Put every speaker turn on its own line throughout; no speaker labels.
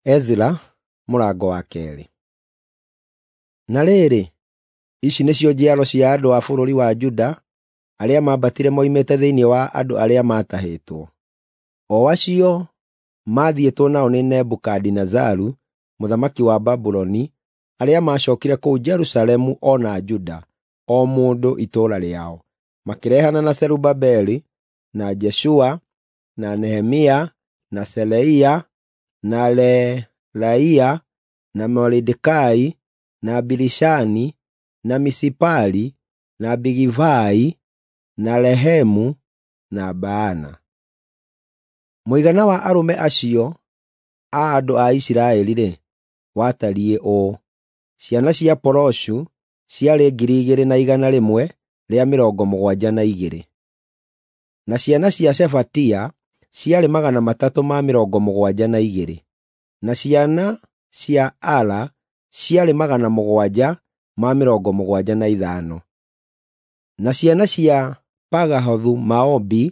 Ezra mũrango wa kerĩ. Na rĩrĩ, ici nĩcio njiaro cia andũ a bũrũri wa Juda arĩa mambatire moimĩte thĩinĩ wa andũ arĩa matahĩtwo. O acio mathiĩtwo nao nĩ Nebukadinazaru mũthamaki wa Babuloni, arĩa macokire kũu Jerusalemu ona Juda, o mũndũ itũũra rĩao, makĩrehana na Zerubabeli na Jeshua na Nehemia na Seleia na Relaia na Moridekai na Bilishani na Misipali na Bigivai na Rehemu na Baana. Mũigana wa arũme acio a andũ a Isiraeli watariĩ ũũ: ciana cia Poroshu ciarĩ 2,172, na ciana cia Shefatia ciarĩ 372, na ciana cia Ala ciarĩ 775, na ciana cia Pagahothu Maobi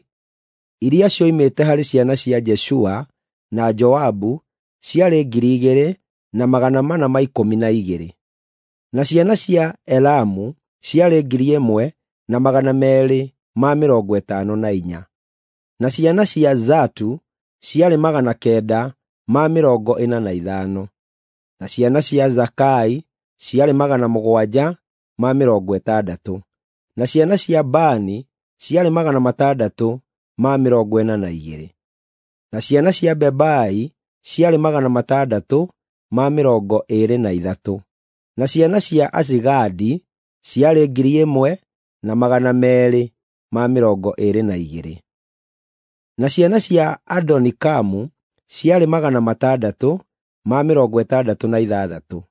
iria cioimĩte harĩ ciana cia Jeshua na Joabu ciarĩ 2,412, na ciana cia Elamu ciarĩ 1,254, na ciana cia Zatu ciarĩ 945, na ciana cia Zakai ciarĩ 760, na ciana cia Bani ciarĩ 642, na ciana cia Bebai ciarĩ 623, na ciana cia Azigadi ciarĩ 1,222, na ciana cia Adonikamu ciarĩ 666,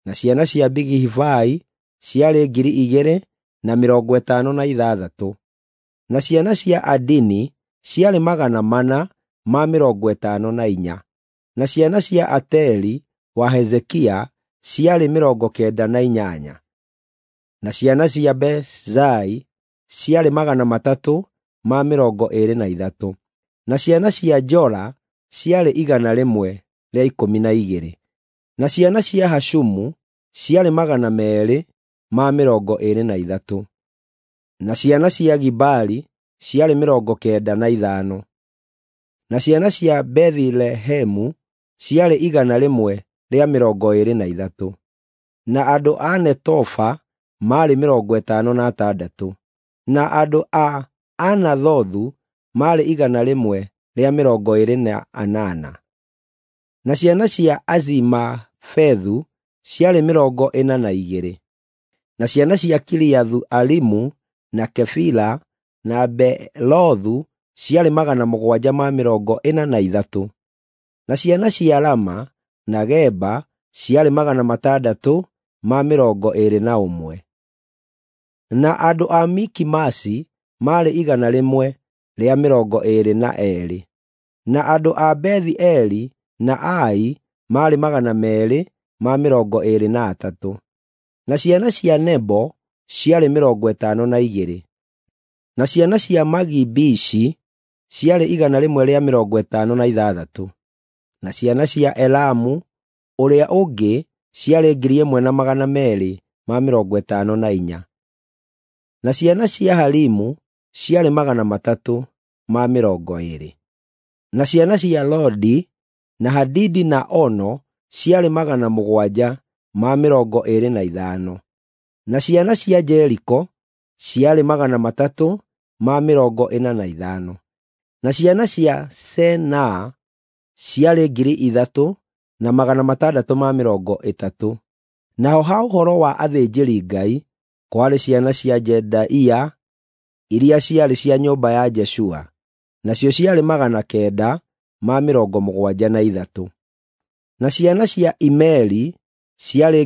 na ciana cia Bigivai ciarĩ 2,056, na ciana cia Adini ciarĩ 454, na ciana cia Ateri wa Hezekia ciarĩ 98, na ciana cia Bezai ciarĩ 323, na ciana cia Jora ciarĩ 112, na ciana cia Hashumu ciarĩ 223, na ciana cia Gibali ciarĩ 95, na ciana cia Bethilehemu ciarĩ 123, na andũ a Netofa maarĩ 56, na andũ a Anathothu maarĩ 128, na ciana cia Azimafethu ciarĩ 42, na ciana cia Kiriathu Arimu na Kefira na Beelothu ciarĩ 743, na ciana cia Rama na Geba ciarĩ 621, na andũ a Mikimasi maarĩ 122, na andũ a Bethi-Eli na Ai maarĩ 223, na ciana cia Nebo ciarĩ 52, na ciana cia Magibishi ciarĩ 156, na ciana cia Elamu ũrĩa ũngĩ ciarĩ 1,254, na ciana cia Harimu ciarĩ 320, na ciana cia Lodi na Hadidi na Ono ciarĩ 725, na ciana cia Jeriko ciarĩ 345, na ciana cia Senaa ciarĩ 3,630. Naho ha ũhoro wa athĩnjĩri-Ngai kwarĩ ciana cia Jedaia iria ciarĩ cia nyũmba ya Jeshua, nacio ciarĩ 973, na ciana cia Imeri ciarĩ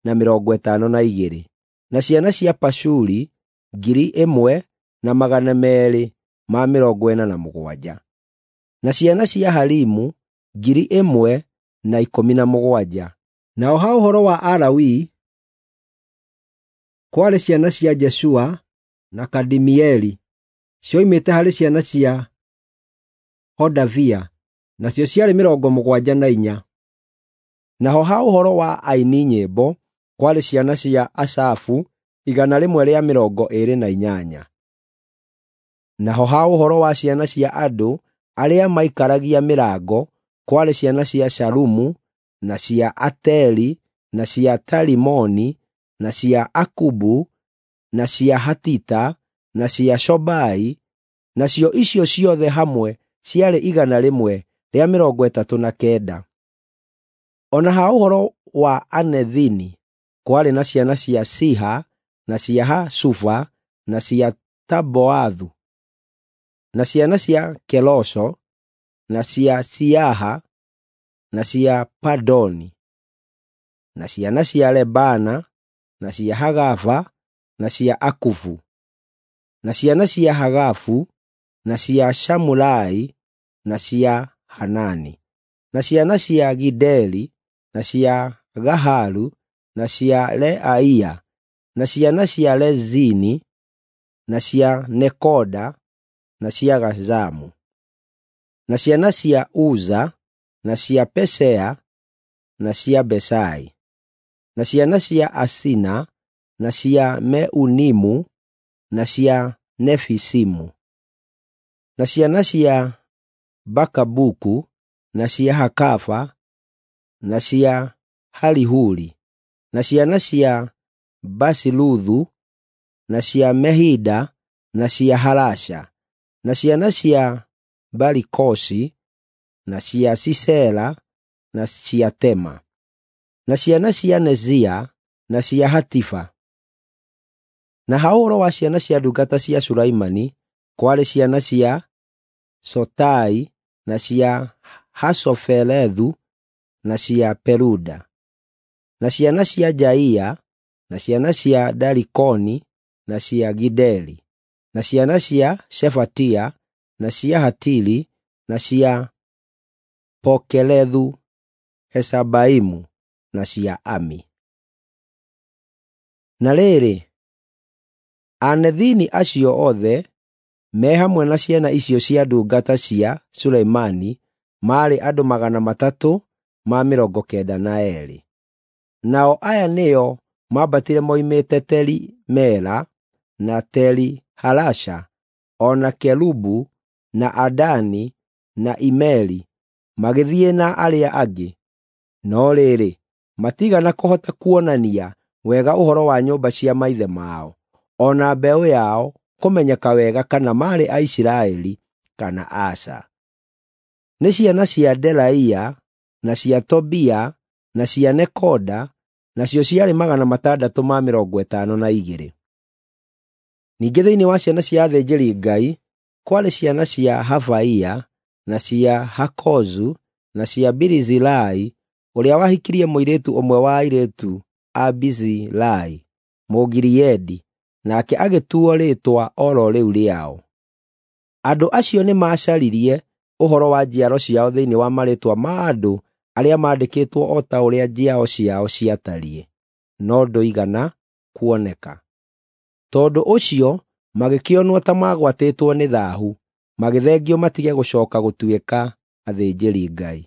1,052, na ciana cia Pashuri 1,247, na ciana cia Harimu 1,017. Nao ha ũhoro wa Alawii kwarĩ ciana cia Jeshua na Kadimieli cioimĩte harĩ ciana cia Hodavia, nacio ciarĩ 74. Naho ha ũhoro wa aini nyĩmbo kwarĩ ciana cia Asafu 128. Naho ha ũhoro wa ciana cia andũ arĩa maikaragia mĩrango kwarĩ ciana cia Shalumu na cia Ateli na cia Talimoni na cia Akubu na cia Hatita na cia Shobai, nacio icio ciothe hamwe ciarĩ 139. Ona ha ũhoro wa Anethini kwarĩ na ciana cia Siha na cia Hasufa na cia Taboathu, na ciana cia Kelosho na cia Siaha na cia Padoni, na ciana cia Lebana na cia Hagafa na cia Akufu, na ciana cia Hagafu na cia Shamulai na cia Hanani, na ciana cia Gideli na cia Gahalu na cia Leaia, na ciana cia Lezini na cia Nekoda na cia Gazamu, na ciana cia Uza na cia Pesea na cia Besai, na ciana cia Asina na cia Meunimu na cia Nefisimu, na ciana cia Bakabuku na cia Hakafa na cia Halihuli, na ciana cia Basiluthu na cia Mehida na cia Halasha, na ciana cia Balikosi na cia Sisera na cia Tema, na ciana cia Nezia na cia Hatifa. Na ha ũhoro wa ciana cia ndungata cia Sulaimani kwarĩ ciana cia Sotai na cia Hasofelethu na cia Peruda, na ciana cia Jaia na ciana cia Dalikoni na cia Gideli, na ciana cia Shefatia na cia Hatili na cia Pokelethu Esabaimu na cia Ami. Na rĩrĩ, Anethini acio othe me hamwe na ciana icio cia ndungata cia Sulaimani maarĩ andũ 392. Nao aya nĩo maambatire moimĩte Teli Mela na Teli Halasha, ona Kelubu na Adani na Imeri, magĩthiĩ na arĩa angĩ. No rĩrĩ, matigana kũhota kuonania wega ũhoro wa nyũmba cia maithe mao, ona mbeũ yao kũmenyeka wega kana maarĩ Aisiraeli kana aca. Nĩ ciana cia Delaia na cia Tobia na cia Nekoda, nacio ciarĩ 652. Ningĩ thĩinĩ wa ciana cia athĩnjĩri-Ngai kwarĩ ciana cia Havaia na cia Hakozu na cia Birizilai, ũrĩa wahikirie mũirĩtu ũmwe wa airĩtu a Bizilai, Mũgiriedi, nake agĩtuo rĩĩtwa oro rĩu rĩao. Andũ acio nĩ macaririe ũhoro wa njiaro ciao thĩinĩ wa marĩĩtwa ma andũ arĩa maandĩkĩtwo o ta ũrĩa njiaro ciao ciatariĩ, no ndũigana kuoneka. Tondũ ũcio magĩkĩonwo ta magwatĩtwo nĩ thaahu, magĩthengio matige gũcooka gũtuĩka athĩnjĩri-Ngai.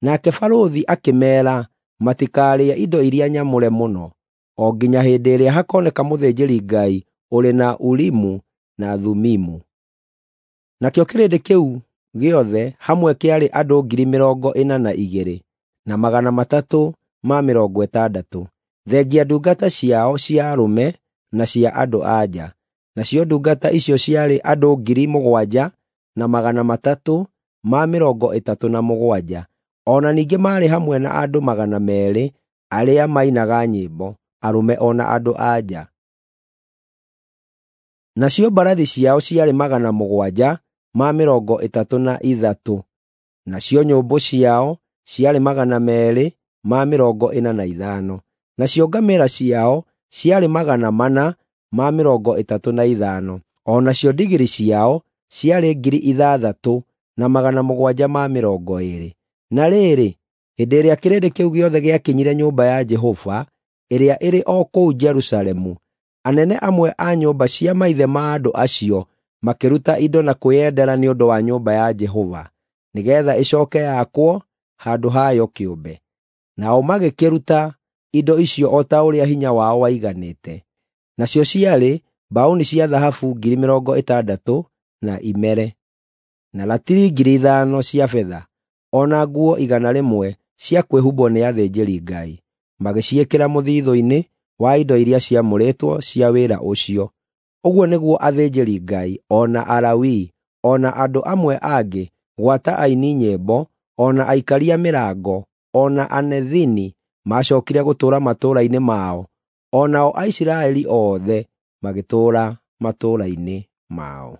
Nake barũthi akĩmeera matikarĩe indo iria nyamũre mũno, o nginya hĩndĩ ĩrĩa hakoneka mũthĩnjĩri-Ngai ũrĩ na Urimu na Thumimu. Nakĩo kĩrĩndĩ kĩu gĩothe hamwe kĩarĩ andũ 42,360, thengia ndungata ciao cia arũme na cia andũ-a-nja. Nacio ndungata icio ciarĩ andũ 7,337, ona ningĩ maarĩ hamwe na andũ 200 arĩa mainaga nyĩmbo, arũme ona andũ-a-nja. Nacio mbarathi ciao ciarĩ 733, nacio nyũmbũ ciao ciarĩ 245, nacio ngamĩĩra ciao ciarĩ 435, o nacio ndigiri ciao ciarĩ 6,720. Na rĩrĩ, hĩndĩ ĩrĩa kĩrĩndĩ kĩu gĩothe gĩakinyire nyũmba ya Jehova ĩrĩa ĩrĩ o kũu Jerusalemu, anene amwe a nyũmba cia maithe ma andũ acio makĩruta indo na kwĩyendera nĩ ũndũ wa nyũmba ya Jehova. nigetha icoke yakwo handũ hayo kĩũmbe. Nao magĩkĩruta indo icio o ta ũrĩa hinya wao waiganĩte. Nacio ciarĩ mbaũni cia thahabu 60,000 na imere, na ratiri 5,000 cia betha, ona nguo 100 cia kwĩhumbwo nĩ athĩnjĩri-Ngai. Magĩciĩkĩra mũthithũ-inĩ wa indo iria ciamũrĩtwo cia wĩra ũcio. Ũguo nĩguo athĩnjĩri-Ngai, ona Alawii, ona andũ amwe angĩ, gwata aini nyĩmbo, ona aikaria mĩrango, ona anethini macokire gũtũũra matũũra-inĩ mao, onao Aisiraeli othe magĩtũũra matũũra-inĩ mao.